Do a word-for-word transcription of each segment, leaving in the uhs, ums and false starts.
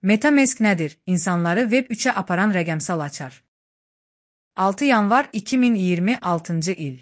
MetaMask nədir? İnsanları Web üçə aparan rəqəmsal açar. altı yanvar iki min iyirmi altıncı il.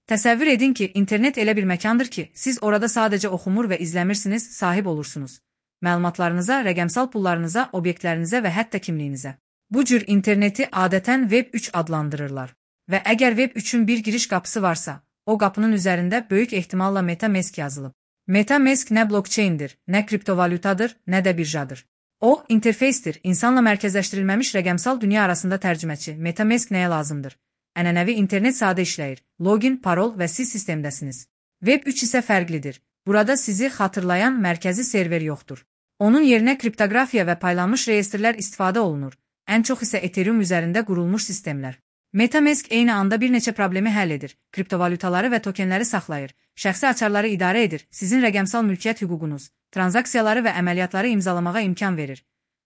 Təsəvvür edin ki, internet elə bir məkandır ki, siz orada sadəcə oxumur və izləmirsiniz, sahib olursunuz. Məlumatlarınıza, rəqəmsal pullarınıza, obyektlərinizə və hətta kimliyinizə. Bu cür interneti adətən Web üç adlandırırlar. Və əgər Web üçün bir giriş qapısı varsa, o qapının üzərində böyük ehtimalla MetaMask yazılıb. MetaMask nə blockchaindir, nə kriptovalyutadır, nə də birjadır. O, interfeysdir, insanla mərkəzləşdirilməmiş rəqəmsal dünya arasında tərcüməçi. MetaMask nəyə lazımdır? Ənənəvi internet sadə işləyir. Login, parol və siz sistemdəsiniz. Web üç isə fərqlidir. Burada sizi xatırlayan mərkəzi server yoxdur. Onun yerinə kriptoqrafiya və paylanmış reyestrlər istifadə olunur. Ən çox isə Ethereum üzərində qurulmuş sistemlər. MetaMask eyni anda bir neçə problemi həll edir. Kriptovalyutaları və tokenləri saxlayır. Şəxsi açarları idarə edir. Sizin rəqəmsal mülkiyyət hüququnuz, tranzaksiyaları və əməliyyatları imzalamağa imkan verir.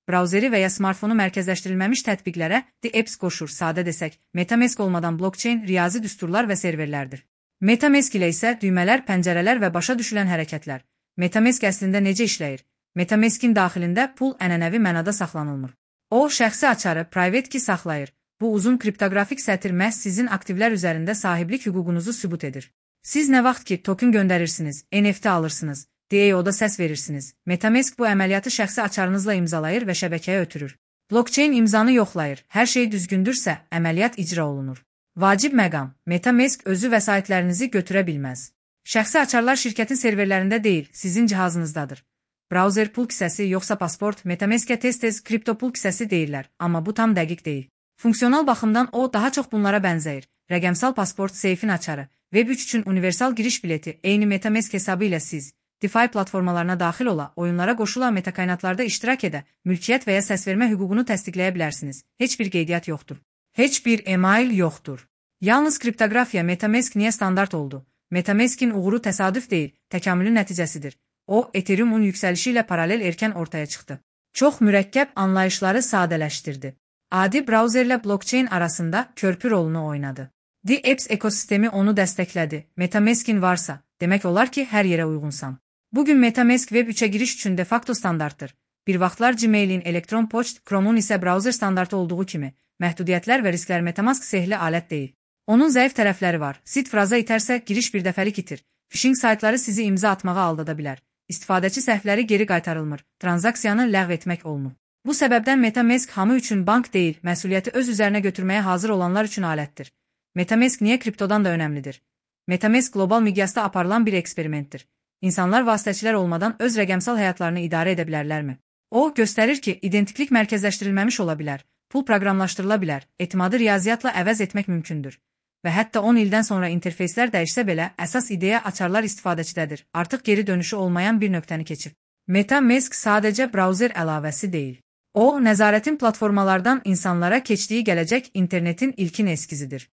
Brauzeri və ya smartfonu mərkəzləşdirilməmiş tətbiqlərə The Apps qoşur. Sadə desək, MetaMask olmadan blockchain riyazi düsturlar və serverlərdir. MetaMask ilə isə düymələr, pəncərələr və başa düşülən hərəkətlər. MetaMask əslində necə işləyir? MetaMask'in daxilində pul ənənəvi mənada saxlanılmır. O, şəxsi açarı, private key saxlayır. Bu uzun kriptoqrafik sətir məhz sizin aktivlər üzərində sahiblik hüququnuzu sübut edir. Siz nə vaxt ki token göndərirsiniz, N F T alırsınız, D A O-da səs verirsiniz. MetaMask bu əməliyyatı şəxsi açarınızla imzalayır və şəbəkəyə ötürür. Blockchain imzanı yoxlayır. Hər şey düzgündürsə, əməliyyat icra olunur. Vacib məqam, MetaMask özü vəsaitlərinizi götürə bilməz. Şəxsi açarlar şirkətin serverlərində deyil, sizin cihazınızdadır. Browser pul kisəsi yoxsa pasport, MetaMask'ə tez-tez kripto pul kisəsi deyirlər, amma bu tam dəqiq deyil. Funksional baxımdan o daha çox bunlara bənzəyir. Rəqəmsal pasport, seyfin açarı, Web üç üçün universal giriş bileti, eyni MetaMask hesabı ilə siz, DeFi platformalarına daxil ola, oyunlara qoşula, metakaynatlarda iştirak edə, mülkiyyət və ya səsvermə hüququnu təsdiqləyə bilərsiniz. Heç bir qeydiyyat yoxdur. Heç bir email yoxdur. Yalnız kriptoqrafiya MetaMask niyə standart oldu? MetaMask'in uğuru təsadüf deyil, təkamülün nəticəsidir. O, Ethereum'un yüksəlişi ilə paralel erkən ortaya çıxdı. Çox mürəkkəb anlayışları sadələşdirdi. Adi brauzerlə blockchain arasında körpü rolunu oynadı. The Apps ekosistemi onu dəstəklədi. MetaMask'in varsa, demək olar ki, hər yerə uyğunsan. Bugün MetaMask Web üçə giriş üçün de facto standartdır. Bir vaxtlar Gmail'in, elektron poçt, Chrome'un isə brauzer standartı olduğu kimi, məhdudiyyətlər və risklər MetaMask sehli alət deyil. Onun zəif tərəfləri var. Sid fraza itərsə, giriş bir dəfəlik itir. Phishing saytları sizi imza atmağa aldada bilər. İstifadəçi səhvləri geri qaytarılmır. Tranzaksiyanı ləğv etmək olunur. Bu səbəbdən MetaMask hamı üçün bank deyil, məsuliyyəti öz üzərinə götürməyə hazır olanlar üçün alətdir. MetaMask niyə kriptodan da önəmlidir? MetaMask qlobal miqyasda aparılan bir eksperimentdir. İnsanlar vasitəçilər olmadan öz rəqəmsal həyatlarını idarə edə bilərlərmi? O, göstərir ki, identiklik mərkəzləşdirilməmiş ola bilər, pul proqramlaşdırıla bilər, etimadı riyaziyyatla əvəz etmək mümkündür. Və hətta on ildən sonra interfeyslər dəyişsə belə, əsas ideya açarlar istifadəçidədir. Artıq geri dönüşü olmayan bir nöqtəni keçib. MetaMask sadəcə brauzer əlavəsi deyil. O, nəzarətin platformalardan insanlara keçdiyi gələcək internetin ilkin eskizidir.